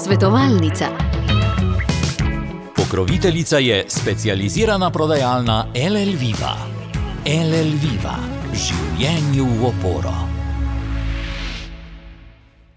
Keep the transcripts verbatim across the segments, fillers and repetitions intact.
Svetovalnica. Pokroviteljica je specializirana prodajalna L L Viva. L L Viva. Življenju v oporo.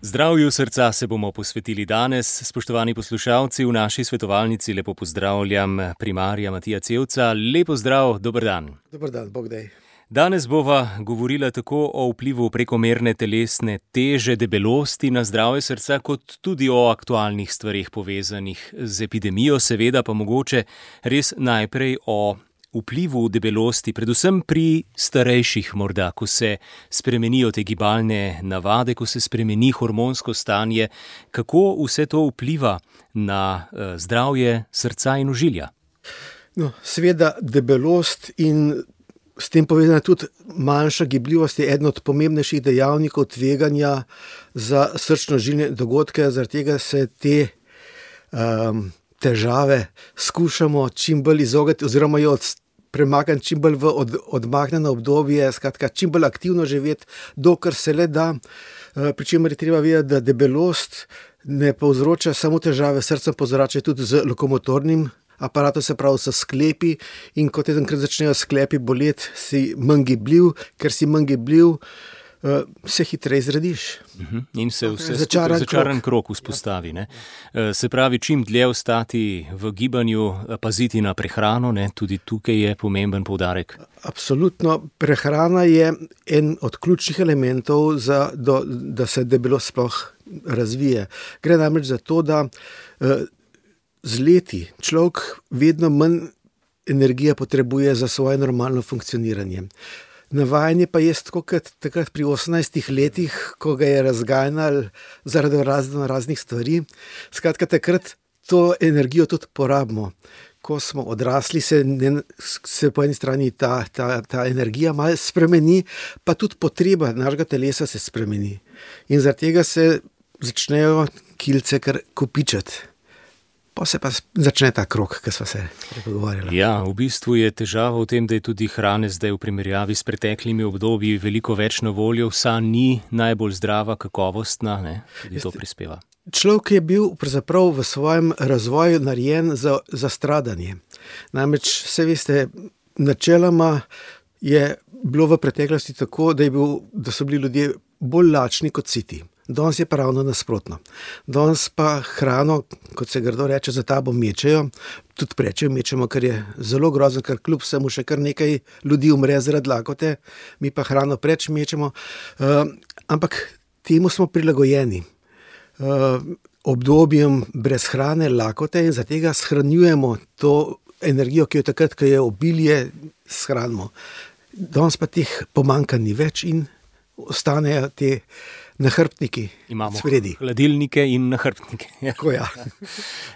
Zdravju srca se bomo posvetili danes. Spoštovani poslušalci, v naši svetovalnici lepo pozdravljam primarja Matija Cevca. Lepo zdrav, dober dan. Dober dan, Bog daj. Danes bova govorila tako o vplivu prekomerne telesne teže, debelosti na zdravje srca, kot tudi o aktualnih stvareh povezanih z epidemijo, seveda pa mogoče res najprej o vplivu debelosti, predvsem pri starejših morda, ko se spremenijo te gibalne navade, ko se spremeni hormonsko stanje, kako vse to vpliva na zdravje srca in ožilja? No, seveda debelost in s tem povezana tudi manjša gibljivost je eden od pomembnejših dejavnikov tveganja za srčno-žilne dogodke, zaradi tega se te um, težave skušamo čim bolj izogniti oziroma jo premakniti čim bolj v od, odmaknjeno obdobje, skratka čim bolj aktivno živeti, dokler se le da. Uh, pri čemer je treba vedeti, da debelost ne povzroča samo težave s srcem, povzroča tudi z lokomotornim aparatom, se pravi s sklepi, in kot enkrat začnejo sklepi boleti, si manj gibljiv, ker si manj gibljiv, uh, se hitreje zrediš. Uh-huh. In se vse začaran, začaran krog, krog vzpostavi. Ne? Uh, se pravi, čim dlje ostati v gibanju, paziti na prehrano, ne? Tudi tukaj je pomemben poudarek. Absolutno, prehrana je en od ključnih elementov, za, do, da se debelost sploh razvije. Gre namreč za to, da uh, z leti človek vedno manj energije potrebuje za svoje normalno funkcioniranje. Navajanje pa je tako kot takrat pri osemnajstih letih, ko ga je razganjal zaradi razno raznih stvari. Skratka, takrat to energijo tudi porabimo. Ko smo odrasli, se, ne, se po eni strani ta, ta, ta energija malo spremeni, pa tudi potreba našega telesa se spremeni. In zaradi tega se začnejo kilce kar kopičati. Pa se pa začne ta krog, ki smo se pogovarjali. Ja, v bistvu je težava v tem, da je tudi hrane zdaj v primerjavi s preteklimi obdobji veliko več na voljo, vsa ni najbolj zdrava, kakovostna, ne? Tudi to prispeva. Človek je bil pravzaprav v svojem razvoju narejen za, za stradanje. Namreč, se veste, načeloma je bilo v preteklosti tako, da, je bil, da so bili ljudje bolj lačni kot siti. Danes je pa ravno nasprotno. Danes pa hrano, kot se grdo reče, za tabo mečejo, tudi prečejo mečemo, kar je zelo grozno, ker kljub vsemu še kar nekaj ljudi umre zaradi lakote, mi pa hrano preč mečemo. Uh, ampak temu smo prilagojeni. Uh, obdobjem brez hrane, lakote, in zaradi tega shranjujemo to energijo, ki jo takrat, ko je obilje, shranimo. Danes pa teh pomanjkanj ni več in ostanejo te nahrbtniki. Imamo spredi. Hladilnike in nahrbtnike. Tako, ja.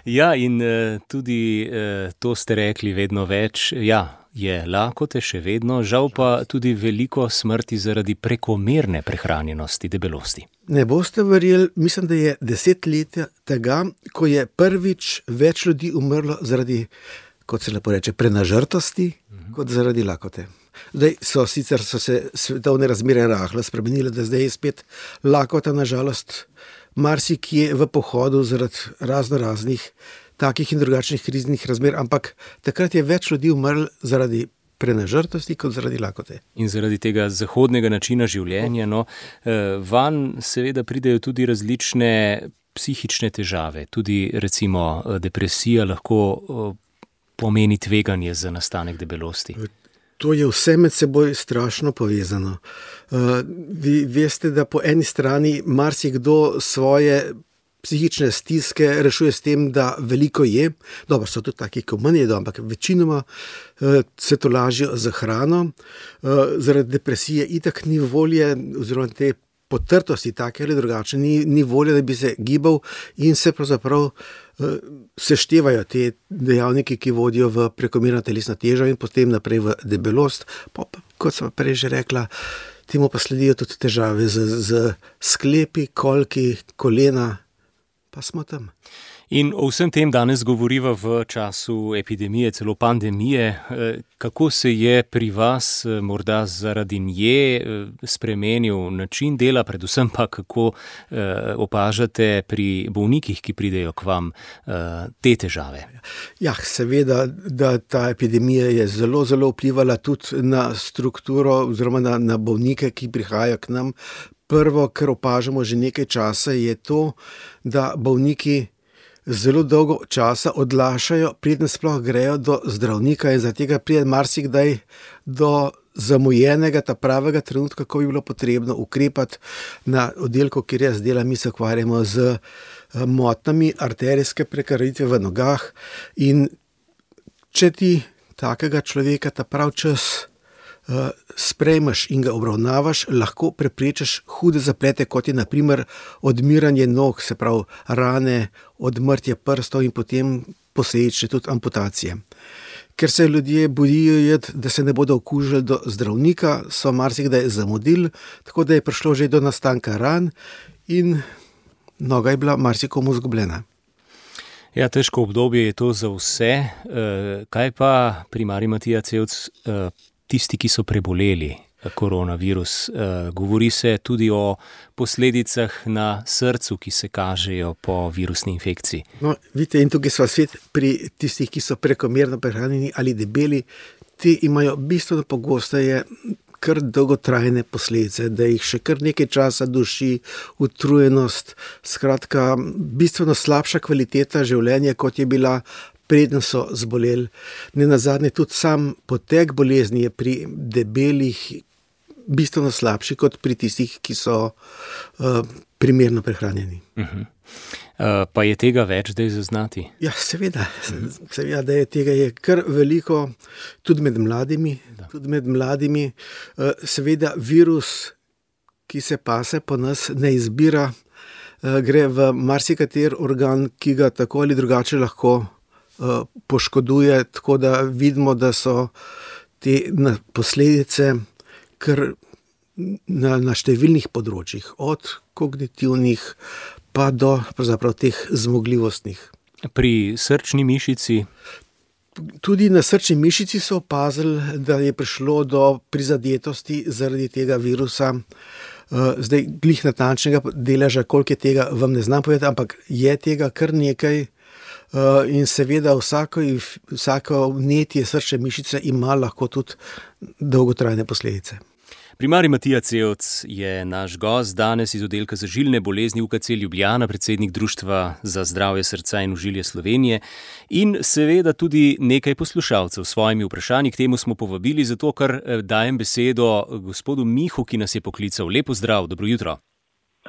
Ja, in uh, tudi uh, to ste rekli vedno več. Ja, je lakote še vedno, žal pa tudi veliko smrti zaradi prekomerne prehranjenosti, debelosti. Ne boste verjeli, mislim, da je deset let tega, ko je prvič več ljudi umrlo zaradi, kot se lepo reče, prenažrtosti, uh-huh. kot zaradi lakote. Zdaj so sicer so se svetovne razmere rahlo spremenile, da zdaj je spet lakota, nažalost, marsikje v pohodu zaradi razno raznih takih in drugačnih kriznih razmer, ampak takrat je več ljudi umrlo zaradi prenažrtosti kot zaradi lakote. In zaradi tega zahodnega načina življenja, no, van seveda pridejo tudi različne psihične težave, tudi recimo depresija lahko pomeni tveganje za nastanek debelosti. To je vse med seboj strašno povezano. Uh, vi veste, da po eni strani marsikdo svoje psihične stiske rešuje s tem, da veliko je. Dobro, so tudi taki, ko manj jedo, ampak večinoma uh, se to lažijo z hrano. Uh, zaradi depresije itak ni volje, oziroma te potrtosti, take ali drugače, ni, ni volje, da bi se gibal in se pravzaprav uh, seštevajo te dejavniki, ki vodijo v prekomerno telesno težo in potem naprej v debelost. Pa, kot sem prej že rekla, temu pa sledijo tudi težave z, z sklepi, kolki, kolena, pa smo tam. In o vsem tem danes govoriva v času epidemije, celo pandemije. Kako se je pri vas morda zaradi nje spremenil način dela, predvsem pa kako opažate pri bolnikih, ki pridejo k vam, te težave? Ja, seveda, da ta epidemija je zelo, zelo vplivala tudi na strukturo oziroma na, na bolnike, ki prihajajo k nam. Prvo, kar opažamo že nekaj časa, je to, da bolniki zelo dolgo časa odlašajo, preden sploh grejo do zdravnika, in zaradi tega pride marsikdaj do zamujenega, ta pravega trenutka, ko bi bilo potrebno ukrepati na oddelku, kjer jaz delam. Mi se ukvarjamo z motnjami arterijske prekrvavitve v nogah, in če ti takega človeka ta prav čas Uh, sprejmeš in ga obravnavaš, lahko preprečiš hude zaplete, kot je na primer odmiranje nog, se pravi rane, odmrtje prstov in potem posledične tudi amputacije. Ker se ljudje bojijo, da se ne bodo okužili do zdravnika, so marsikdaj zamudili, tako da je prišlo že do nastanka ran in noga je bila marsikomu izgubljena. Ja, težko obdobje je to za vse. Uh, kaj pa primarij Matija Cevc, uh, tisti, ki so preboleli koronavirus? Govori se tudi o posledicah na srcu, ki se kažejo po virusni infekciji. No, vidite, in tukaj sva svet pri tistih, ki so prekomerno prehranjeni ali debeli. Ti imajo bistveno pogosteje kar dolgotrajne posledice, da jih še kar nekaj časa duši utrujenost, skratka, bistveno slabša kvaliteta življenja, kot je bila preden so zboleli. Nenazadnje tudi sam potek bolezni je pri debelih bistveno slabši kot pri tistih, ki so uh, primerno prehranjeni. Uh-huh. Uh, pa je tega več zdaj zaznati? Ja, seveda. Seveda, da je tega je kar veliko, tudi med mladimi. Tudi med mladimi. Uh, seveda, virus, ki se pase po nas, ne izbira, uh, gre v marsikater organ, ki ga tako ali drugače lahko poškoduje, tako da vidimo, da so te posledice kar na, na številnih področjih, od kognitivnih pa do pravzaprav teh zmogljivostnih. Pri srčni mišici? Tudi na srčni mišici so opazili, da je prišlo do prizadetosti zaradi tega virusa. Zdaj, glih natančnega deleža, koliko je tega, vam ne znam povedati, ampak je tega kar nekaj. Uh, in seveda vsako, vsako vnetje srčne mišice ima lahko tudi dolgotrajne posledice. Primarij Matija Cevc je naš gost danes iz oddelka za žilne bolezni U K C Ljubljana, predsednik Društva za zdravje srca in ožilje Slovenije in seveda tudi nekaj poslušalcev s svojimi vprašanji. K temu smo povabili, zato ker dajem besedo gospodu Mihu, ki nas je poklical. Lepo zdrav, dobro jutro.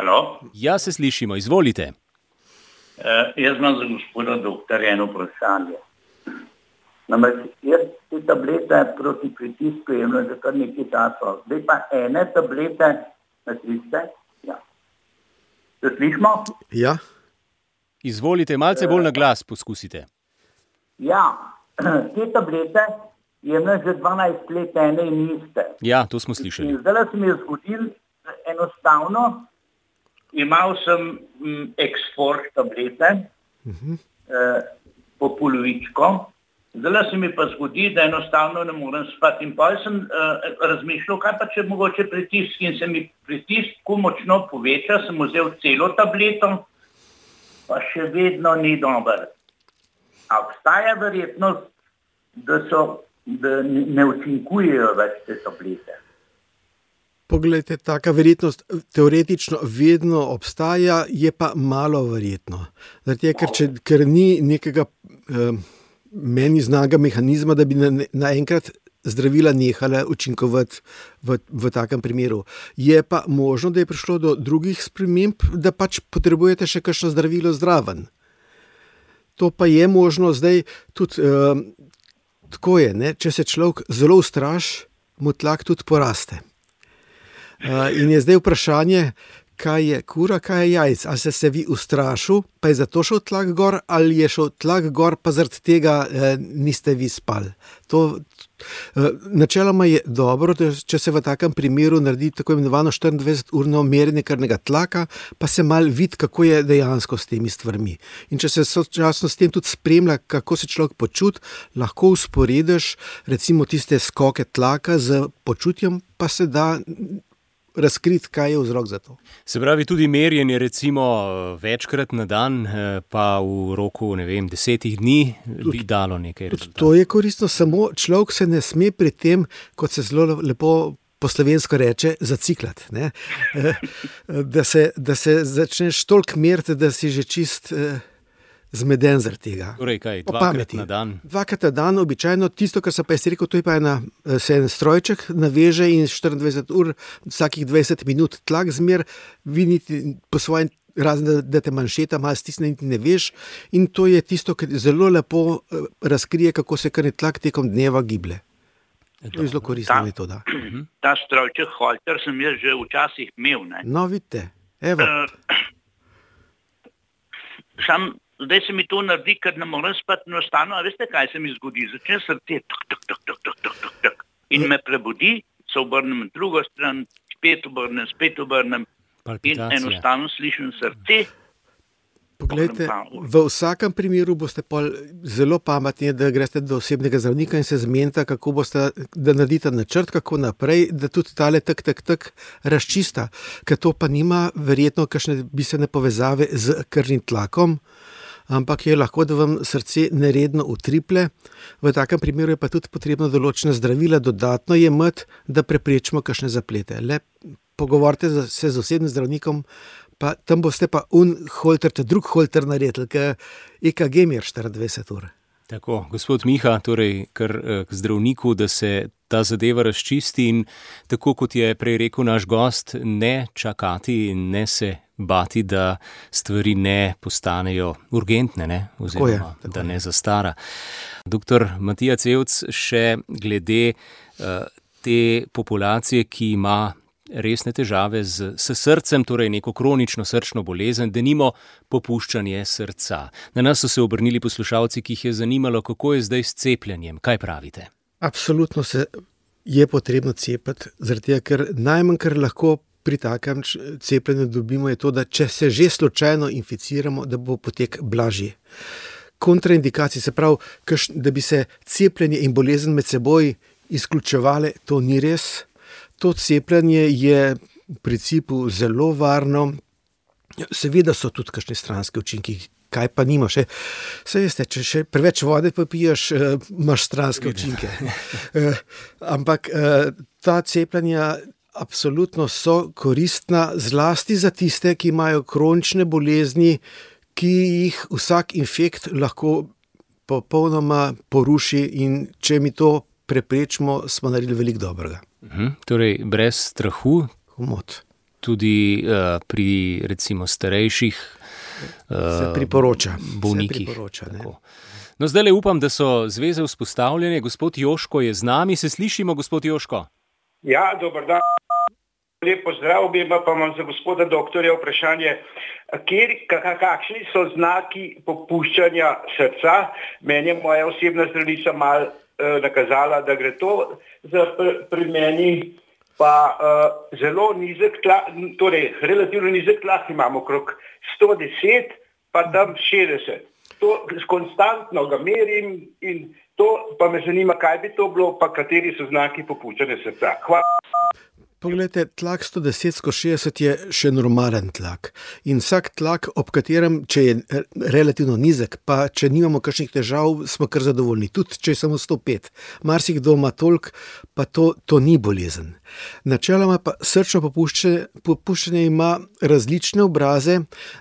Halo? Ja, se slišimo, izvolite. Uh, jaz imam za gospoda doktorja eno vprašanje. Namreč, jaz te tablete proti pritisku jemljem že kar nekaj časa. Zdaj pa ene tablete, ne slišite? Ja. Se slišimo? Ja. Izvolite, malce bolj na glas poskusite. Ja, te tablete jemljem že dvanajst let ene in iste. Ja, to smo slišali. In zdaj se mi je zgodil enostavno, imel sem m, Exforge tablete, uh-huh. eh, po polovičko, zdaj se mi pa zgodi, da enostavno ne morem spati. In pa sem eh, razmišljal, kaj pa če mogoče pritisk, in se mi pritisk ko močno poveča, sem vzel celo tableto, pa še vedno ni dober. A obstaja verjetnost, da, so, da ne učinkujejo več te tablete? Poglejte, taka verjetnost teoretično vedno obstaja, je pa malo verjetno. Zato, ker, če, ker ni nekega eh, meni znanega mehanizma, da bi naenkrat na zdravila nehala učinkovati v, v takem primeru. Je pa možno, da je prišlo do drugih sprememb, da pač potrebujete še kakšno zdravilo zraven. To pa je možno zdaj tudi, eh, tako je, ne? Če se človek zelo ustraši, mu tlak tudi poraste. Uh, in je zdaj vprašanje, kaj je kura, kaj je jajc. Ali ste se vi ustrašil, pa je zato šel tlak gor, ali je šel tlak gor, pa zaradi tega eh, niste vi spali. To, eh, načeloma je dobro, da če se v takem primeru naredi tako imenovano štiriindvajseturno merjenje krvnega tlaka, pa se mal vidi, kako je dejansko s temi stvarmi. In če se sočasno s tem tudi spremlja, kako se človek počuti, lahko usporediš recimo tiste skoke tlaka z počutjem, pa se da razkriti, kaj je vzrok za to. Se pravi, tudi merjenje recimo večkrat na dan, pa v roku, ne vem, desetih dni bi dalo nekaj rezultatov. To je koristno, samo človek se ne sme pri tem, kot se zelo lepo po slovensko reče, zaciklati. Ne? Da se, da se začneš toliko meriti, da si že čist zmeden zaradi tega. Torej kaj, dvakrat na dan? Dvakrat na dan, običajno. Tisto, kar sem pa jaz rekel, to je pa ena, se en strojček naveže in štiriindvajset ur, vsakih dvajset minut tlak zmer, vi niti po svojem, razen da te manšeta malo stisne, niti ne veš. In to je tisto, kar zelo lepo razkrije, kako se krvni tlak tekom dneva giblje. To je zelo koristna metoda. Ta strojček Holter sem jaz že včasih imel. Ne? No, vidite, evo. Uh, sam Zdaj se mi to naredi, ker ne morem spati enostavno, a veste, kaj se mi zgodi? Začne srce tuk, tuk, tuk, tuk, tuk, tuk, tuk, tuk. In me prebudi, se obrnem na drugo stran, spet obrnem, spet obrnem in enostavno slišim srce. Poglejte, v vsakem primeru boste pol zelo pametni, da greste do osebnega zdravnika in se zmenite, kako boste, da naredite načrt, kako naprej, da tudi tale tak, tak, tak razčista, ker to pa nima verjetno kakšne bistvene povezave z krvnim tlakom, ampak je lahko, da vam srce neredno utriple. V takem primeru je pa tudi potrebno določene zdravila dodatno jemati, da preprečimo kakšne zaplete. Le pogovorite se z osebnim zdravnikom, pa tam boste pa un holter, te drug holter naredili, ker E K G mer štiriindvajset ur. Tako, gospod Miha, torej kar k zdravniku, da se ta zadeva razčisti in tako kot je prej rekel naš gost, ne čakati in ne se bati, da stvari ne postanejo urgentne, ne? Oziroma tako je, tako da ne zastara. Doktor Matija Cevc, še glede uh, te populacije, ki ima resne težave z, s srcem, torej neko kronično srčno bolezen, denimo popuščanje srca. Na nas so se obrnili poslušalci, ki jih je zanimalo, kako je zdaj s cepljenjem. Kaj pravite? Absolutno se je potrebno cepiti, zaradi tega, ker najmanj, kar lahko pri takem cepljenju dobimo, je to, da če se že slučajno inficiramo, da bo potek blažji. Kontraindikacije, se pravi, da bi se cepljenje in bolezen med seboj izključevale, to ni res. To cepljenje je v principu zelo varno. Seveda so tudi kakšne stranske učinki, kaj pa nima še. Saj veste, če še preveč vode popiješ, imaš stranske učinke. Ampak ta cepljenja absolutno so koristna, zlasti za tiste, ki imajo kronične bolezni, ki jih vsak infekt lahko popolnoma poruši, in če mi to preprečimo, smo naredili veliko dobrega. Uhum, torej, brez strahu, Humot. tudi uh, pri recimo starejših uh, se priporoča. bolnikih. Se priporoča, ne? No, zdaj le upam, da so zveze vzpostavljene. Gospod Joško je z nami, se slišimo, gospod Joško? Ja, dober dan. Lep pozdrav, obema, pa imam za gospoda doktorja vprašanje. Kjer, kakšni so znaki popuščanja srca? Meni je moja osebna zdravnica malo nakazala, da gre to za pri meni, pa uh, zelo nizek tlak, torej relativno nizek tlak imamo okrog sto deset, pa tam šestdeset. To konstantno ga merim in to pa me zanima, kaj bi to bilo, pa kateri so znaki popuščanja srca. Hvala. Poglejte, tlak sto deset skozi šestdeset je še normalen tlak. In vsak tlak, ob katerem, če je relativno nizek, pa če nimamo kakšnih težav, smo kar zadovoljni. Tudi če je samo sto pet. Marsikdo ima toliko, pa to, to ni bolezen. Načeloma pa srčno popuščanje, popuščanje ima različne obraze.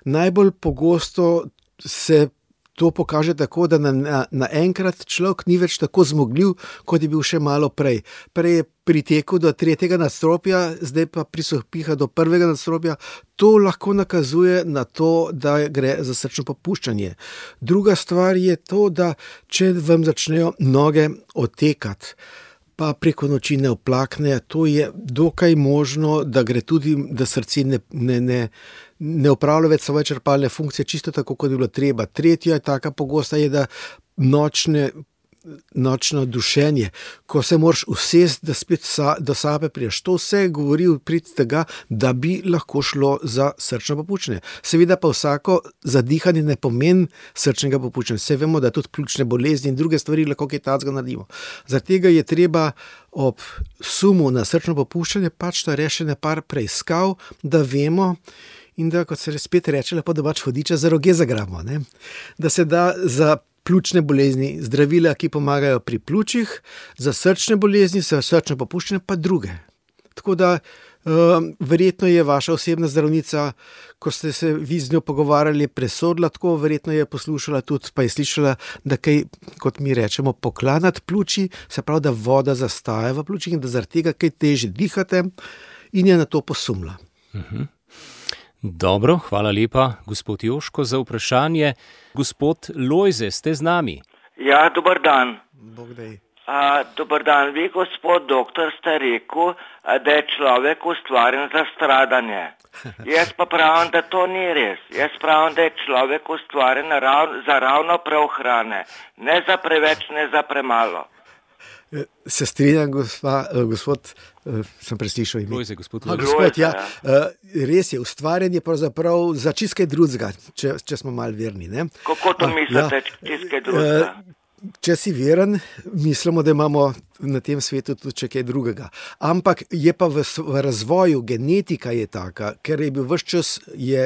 Najbolj pogosto se to pokaže tako, da naenkrat na, na človek ni več tako zmogljiv, kot je bil še malo prej. Prej je pritekel do tretjega nadstropja, zdaj pa prisopiha do prvega nadstropja. To lahko nakazuje na to, da gre za srčno popuščanje. Druga stvar je to, da če vam začnejo noge otekati, pa preko noči ne oplakne. To je dokaj možno, da gre tudi, da srce ne, ne, ne, ne opravlja več svoje črpalne funkcije, čisto tako, kot je bilo treba. Tretja je taka pogosta, je, da nočne nočno dušenje, ko se moraš usesti, da spet sa, do sape priješ. To vse govori v prid tega, da bi lahko šlo za srčno popuščanje. Seveda pa vsako zadihanje ne pomeni srčnega popuščanja. Vse vemo, da tudi pljučne bolezni in druge stvari lahko kaj takega naredimo. Zaradi tega je treba ob sumu na srčno popuščanje pač to rešene par preiskav, da vemo in da, kot se spet reče, lepo domač vodiča za roge zagramo, ne? Da se da za pljučne bolezni zdravila, ki pomagajo pri pljučih, za srčne bolezni, za srčno popuščanje pa druge. Tako da uh, verjetno je vaša osebna zdravnica, ko ste se vi z njo pogovarjali, presodila tako, verjetno je poslušala tudi, pa je slišala, da kaj, kot mi rečemo, poklanat pljuči, se pravi, da voda zastaja v pljučih in da zaradi tega kaj težje dihate in je na to posumla. Uh-huh. Dobro, hvala lepa, gospod Joško, za vprašanje. Gospod Lojze, ste z nami? Ja, dober dan. Bog daj. A, dober dan. Vi, gospod doktor, ste rekel, da je človek ustvarjen za stradanje. Jaz pa pravim, da to ni res. Jaz pravim, da je človek ustvarjen rav, za ravno prav hrane. Ne za preveč, ne za premalo. Se strinjam, gospa, gospod, sem preslišal ime. Lojze, gospod A, Lojze. gospod, ja, res je, ustvarjanje pravzaprav za čist kaj drugega, če, če smo malo verni, ne? Kako to mislite, ja, čist kaj drugega? Če si veren, mislimo, da imamo na tem svetu tudi še kaj drugega. Ampak je pa v, v razvoju, genetika je taka, ker je bil ves čas, je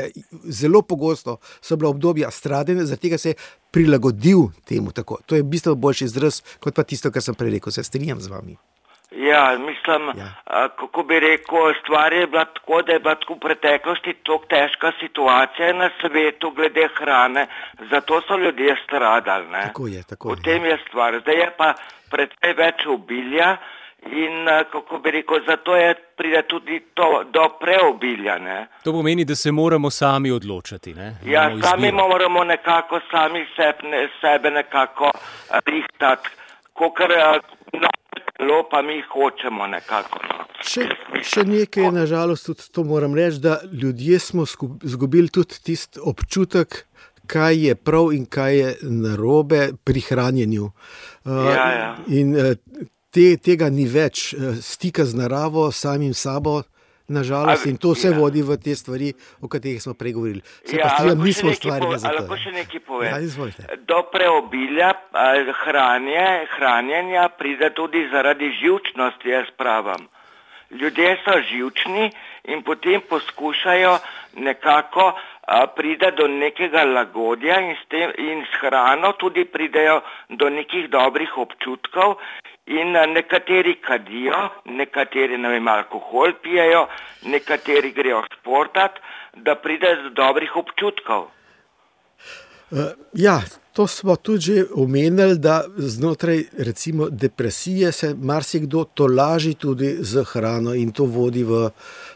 zelo pogosto, so bila obdobja stradanja, zaradi tega se je prilagodil temu tako. To je bistveno boljši izraz, kot pa tisto, kar sem prej rekel. Se strinjam z vami. Ja, mislim, Ja. a, kako bi rekel, stvar je bila tako, da je bila tako v preteklosti tako težka situacija na svetu glede hrane, zato so ljudje stradali, ne? Tako je, tako V je. tem je stvar. Zdaj je pa precej več obilja in, a, kako bi rekel, zato je pride tudi to, do preobilja, ne? To pomeni, da se moramo sami odločati, ne? Ja, Imamo sami izbiro. moramo nekako sami sebe, ne, sebe nekako a, rihtati, kakor no, telo pa mi hočemo nekako. No. Še, še nekaj je nažalost tudi to moram reči, da ljudje smo sku- zgubili tudi tisti občutek, kaj je prav in kaj je narobe pri hranjenju. Uh, Ja, ja. In uh, te, tega ni več, uh, stika z naravo, samim sabo, nažalost, A, in to vse ja. vodi v te stvari, o katerih smo prej govorili. Se Ja, pa strinjam, lahko še nismo nekaj ustvarjeni pove- za a to. lahko še nekaj povem? Ja, izvolite. Do preobilja a, hranje, hranjenja pride tudi zaradi živčnosti, jaz pravim. Ljudje so živčni in potem poskušajo nekako a, pride do nekega lagodja in s, tem, in s hrano tudi pridejo do nekih dobrih občutkov in a, nekateri kadijo, nekateri ne vem, alkohol pijejo, nekateri grejo športat, da pride do dobrih občutkov. Uh, ja, to smo tudi že omenili, da znotraj recimo depresije se marsikdo tolaži tudi z hrano in to vodi v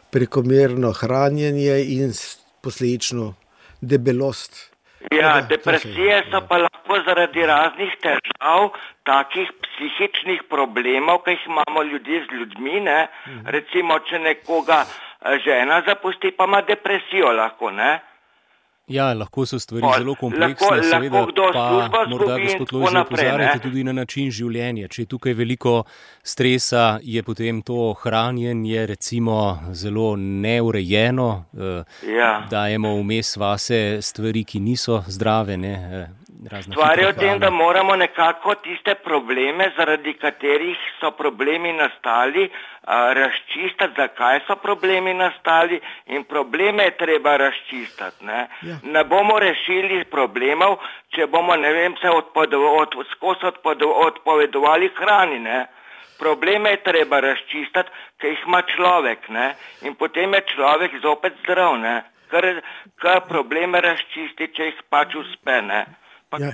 prekomerno hranjenje in s- posledično debelost. Ja, Tako da, to se- depresije so pa lahko zaradi raznih težav, takih psihičnih problemov, ki jih imamo ljudje z ljudmi, ne. Recimo, če nekoga eh, žena zapusti, pa ima depresijo lahko, ne. Ja, lahko so stvari Pol, zelo kompleksne, lahko- seveda lahko kdo pa službo morda, izgubi in gospod tako Lojze, naprej, opozarjate ne. tudi na način življenja. Če je tukaj veliko stresa, je potem to hranjenje recimo zelo neurejeno, eh, Ja. dajemo vmes vase stvari, ki niso zdrave, ne, eh, razna Stvar je hitra v tem, hrana. da moramo nekako tiste probleme, zaradi katerih so problemi nastali, a, razčistiti, zakaj so problemi nastali in probleme je treba razčistiti. Ne, Ja. ne bomo rešili problemov, če bomo, ne vem, se odpovedo, od, skozi odpovedo, odpovedovali hrani. Ne. Probleme je treba razčistiti, ker jih ima človek, ne, in potem je človek zopet zdrav, ne, ker, ker probleme razčisti, če jih pač uspe, ne. Pa, Ja,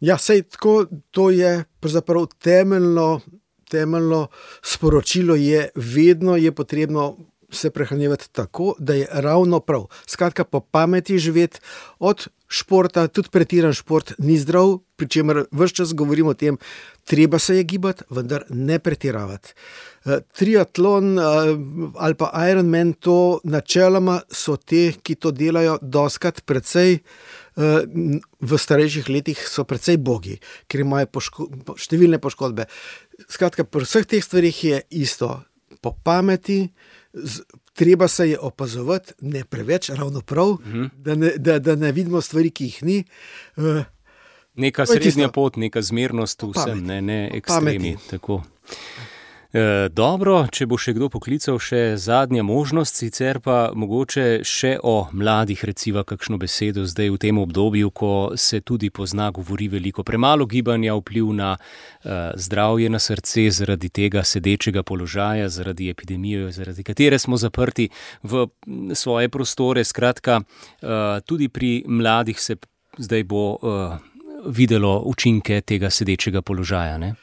ja sej tako, to je pravzaprav temeljno, temeljno sporočilo je, vedno je potrebno se prehranjevati tako, da je ravno prav. Skratka, po pameti živeti, od športa, tudi pretiran šport ni zdrav, pri čemer ves čas govorimo o tem, treba se je gibati, vendar ne pretiravati. Triatlon ali pa Ironman, to načeloma so te, ki to delajo doskrat precej, v starejših letih so precej bogi, ker imajo poško, številne poškodbe. Skratka, pri vseh teh stvarih je isto. Po pameti, z, treba se je opazovati, ne preveč, ravno prav, mhm. da, ne, da, da ne vidimo stvari, ki jih ni. Neka srednja pot, neka zmernost vsem, ne, ne ekstremi. Tako. E, dobro, če bo še kdo poklical, še zadnja možnost, sicer pa mogoče še o mladih reciva kakšno besedo zdaj v tem obdobju, ko se tudi pozna, govori veliko premalo gibanja, vpliv na e, zdravje, na srce zaradi tega sedečega položaja, zaradi epidemije, zaradi katere smo zaprti v svoje prostore. Skratka, e, tudi pri mladih se zdaj bo e, videlo učinke tega sedečega položaja, ne?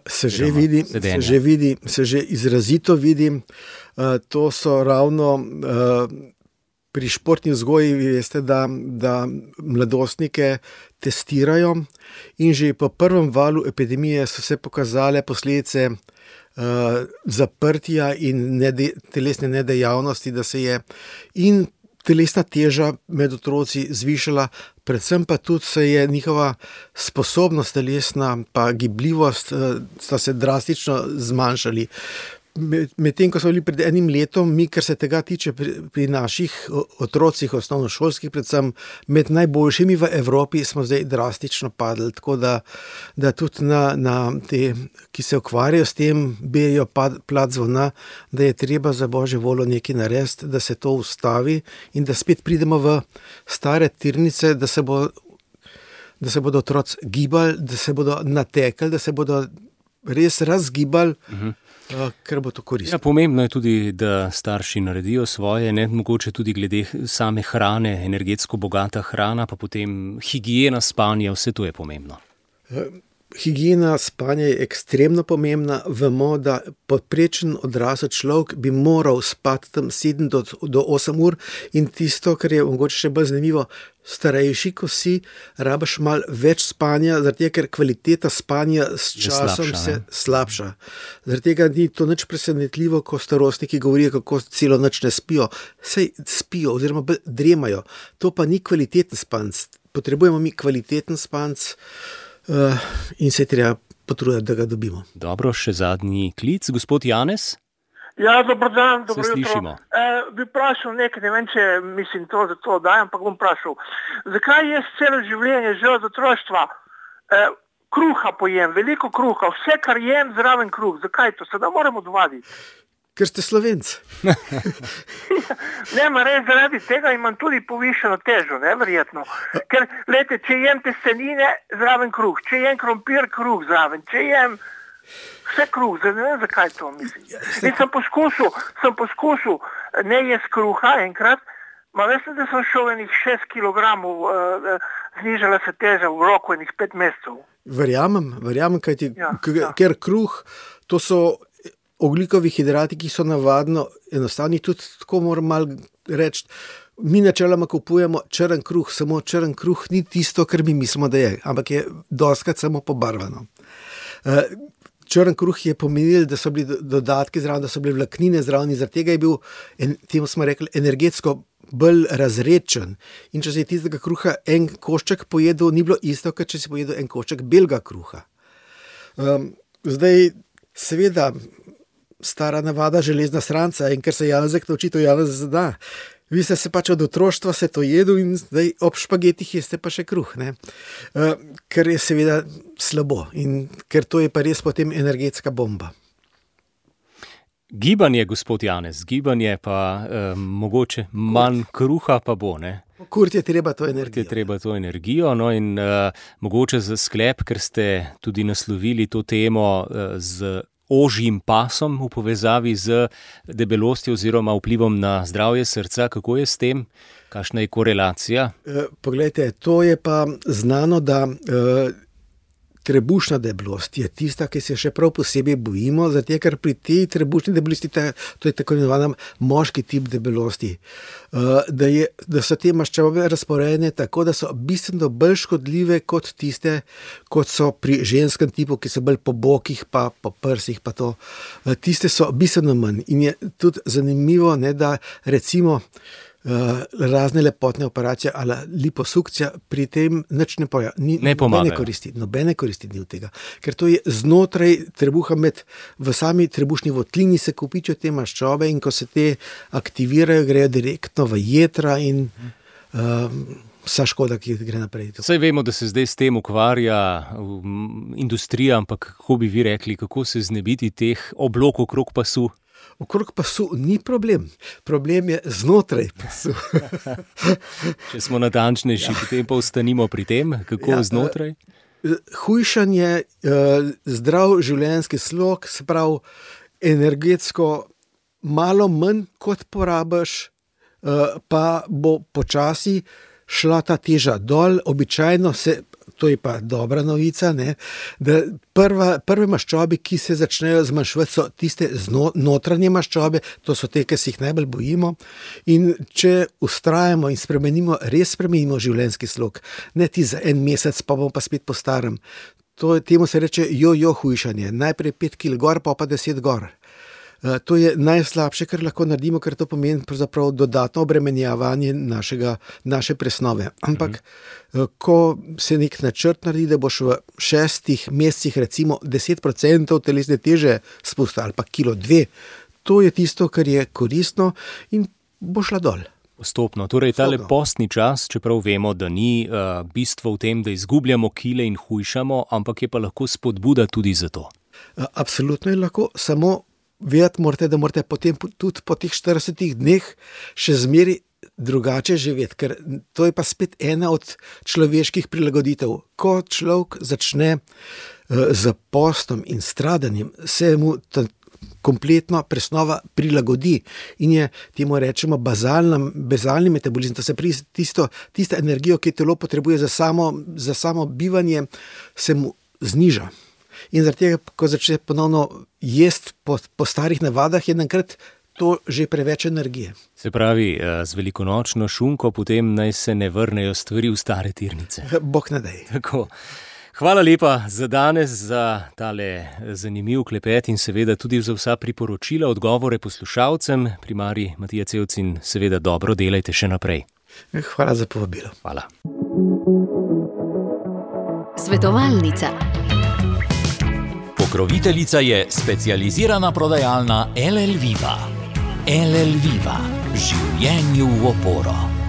Se že vidi, se že vidi, se že izrazito vidi. To so ravno pri športni vzgoji, veste, da, da mladostnike testirajo in že po prvem valu epidemije so se pokazale posledice zaprtja in nede, telesne nedejavnosti, da se je in telesna teža med otroci zvišala, predvsem pa tudi se je njihova sposobnost telesna pa gibljivost sta se drastično zmanjšali. Medtem, ko smo bili pred enim letom, mi, kar se tega tiče pri, pri naših otrocih, osnovnošolskih, predvsem med najboljšimi v Evropi, smo zdaj drastično padli. Tako da, da tudi na, na te, ki se ukvarjajo s tem, bijejo plat zvona, da je treba za Božjo voljo nekaj narediti, da se to ustavi in da spet pridemo v stare tirnice, da se, bo, da se bodo otroci gibali, da se bodo natekali, da se bodo res razgibali, uh-huh. ker bo to koristno. Ja, pomembno je tudi, da starši naredijo svoje, ne mogoče tudi glede same hrane, energetsko bogata hrana, pa potem higiena spanja, vse to je pomembno. Higiena spanja je ekstremno pomembna. Vemo, da podprečen odrasel človek bi moral spati tam sedem do osem ur in tisto, kar je mogoče še bolj zanimivo, starejši, ko si, rabiš malo več spanja, zaradi tega, ker kvaliteta spanja s časom slabša, se slabša. Zaradi tega ni to nič presenetljivo, ko starostniki govorijo, kako celo noč ne spijo. Sej spijo oziroma dremajo. To pa ni kvaliteten spanc. Potrebujemo mi kvaliteten spanc, Uh, in se je treba potruditi, da ga dobimo. Dobro, še zadnji klic. Gospod Janez? Ja, dobro dan, dobro se jutro. Slišimo. E, bi vprašal nekaj, ne vem, če mislim to za to dajem, ampak bom vprašal. Zakaj jaz celo življenje, že od otroštva, e, kruha pojem, veliko kruha, vse, kar jem, zraven kruh. Zakaj to? Sedaj moramo odvaditi. Ker ste Slovenc. Ne, ma res zaradi tega imam tudi povišeno težo, ne, verjetno. Ker, lejte, če jem testenine, zraven kruh, če jem krompir, kruh zraven, če jem vse kruh, zdaj ne vem, zakaj to mislim. In sem poskusil, sem poskusil ne jesti kruha enkrat, ma veste, da sem šel enih šest kilogramov, uh, znižala se teža v roku enih pet mesecev. Verjamem, verjamem, kaj ti, ja, k- ja. ker kruh, to so ogljikovi hidrati, ki so navadno enostavni, tudi tako moram malo reči, mi načeloma kupujemo črn kruh, samo črn kruh ni tisto, kar mi mislimo, da je, ampak je dostkrat samo pobarvano. Črn kruh je pomenil, da so bili dodatki zraven, da so bile vlaknine zraven, zaradi tega je bil, temu smo rekli, energetsko bolj razredčen. In če si tistega kruha en košček pojedel, ni bilo isto, kot če si pojedel en košček belega kruha. Um, zdaj, seveda, stara navada železna sranca in ker se Janezek nauči, to Janez zada. Vi ste se pač od otroštva se to jedel in zdaj ob špagetih jeste pa še kruh, ne? Uh, ker je seveda slabo in ker to je pa res potem energetska bomba. Gibanje, gospod Janez, gibanje pa eh, mogoče manj kruha pa bo, ne? Kurti je treba to energijo. Kurti je treba to energijo, no in uh, mogoče za sklep, ker ste tudi naslovili to temo uh, z ožjim pasom v povezavi z debelostjo oziroma vplivom na zdravje srca. Kako je s tem? Kakšna je korelacija? E, poglejte, to je pa znano, da e, trebušna debelost je tista, ki se še prav posebej bojimo, zato ker pri tej trebušni debelosti, to je tako imenovana moški tip debelosti, da, je, da so te maščobe razporejene tako, da so bistveno bolj škodljive kot tiste, kot so pri ženskem tipu, ki so bolj po bokih, pa po prsih, pa to. Tiste so bistveno manj. In je tudi zanimivo, ne, da recimo Uh, razne lepotne operacije ali liposukcija pri tem nič ne poja, ni, ne nobene koristi, nobene koristi ni od tega, ker to je znotraj trebuha, med, v sami trebušni votlini se kopičijo te maščobe in ko se te aktivirajo, grejo direktno v jetra in uh, vsa škoda, ki gre naprej. Saj vemo, da se zdaj s tem ukvarja industrija, ampak kako bi vi rekli, kako se znebiti teh oblokov okrog pasu? Okrog pasu ni problem, problem je znotraj pasu. Če smo natančnejši, ja. Potem pa ostanimo pri tem, kako ja, znotraj? Hujšanje, zdrav življenjski slog, se pravi energetsko malo manj kot porabiš, pa bo počasi šla ta teža dol, običajno se, to je pa dobra novica, ne, da prva, prve maščobe, ki se začnejo zmanjševati, so tiste zno, notranje maščobe, to so te, ki se jih najbolj bojimo. In če ustrajamo in spremenimo, res spremenimo življenjski slog, ne ti za en mesec, pa bom pa spet po starem. To, temu se reče jo-jo hujšanje, najprej pet kil gor, pa pa deset gor. To je najslabše, kar lahko naredimo, ker to pomeni pravzaprav dodatno obremenjevanje našega, naše presnove. Ampak, mhm. ko se nek načrt naredi, da boš v šestih mesecih recimo deset procentov telesne teže spustil ali pa kilo dve, to je tisto, kar je koristno in bo šla dol. Postopno. Torej, tale postni čas, čeprav vemo, da ni uh, bistvo v tem, da izgubljamo kile in hujšamo, ampak je pa lahko spodbuda tudi za to. Absolutno je lahko, samo vedeti morate, da morate potem tudi po teh štiridesetih dneh še zmeri drugače živeti, ker to je pa spet ena od človeških prilagoditev. Ko človek začne uh, z postom in stradanjem, se mu ta kompletno presnova prilagodi in je, temu rečemo, bazalna, bazalni metabolizem, to se pri tisto, tisto energijo, ki telo potrebuje za samo, za samo bivanje, se mu zniža. In zaradi tega, ko začne ponovno jesti po, po starih navadah, je enkrat to že preveč energije. Se pravi, z velikonočno šunko potem naj se ne vrnejo stvari v stare tirnice. Bog ne daj. Tako. Hvala lepa za danes, za tale zanimiv klepet in seveda tudi za vsa priporočila, odgovore poslušalcem. Primarij Matija Cevc in seveda dobro delajte še naprej. Hvala za povabilo. Hvala. Svetovalnica. Pokroviteljica je specializirana prodajalna L L Viva. L L Viva. Življenju v oporo.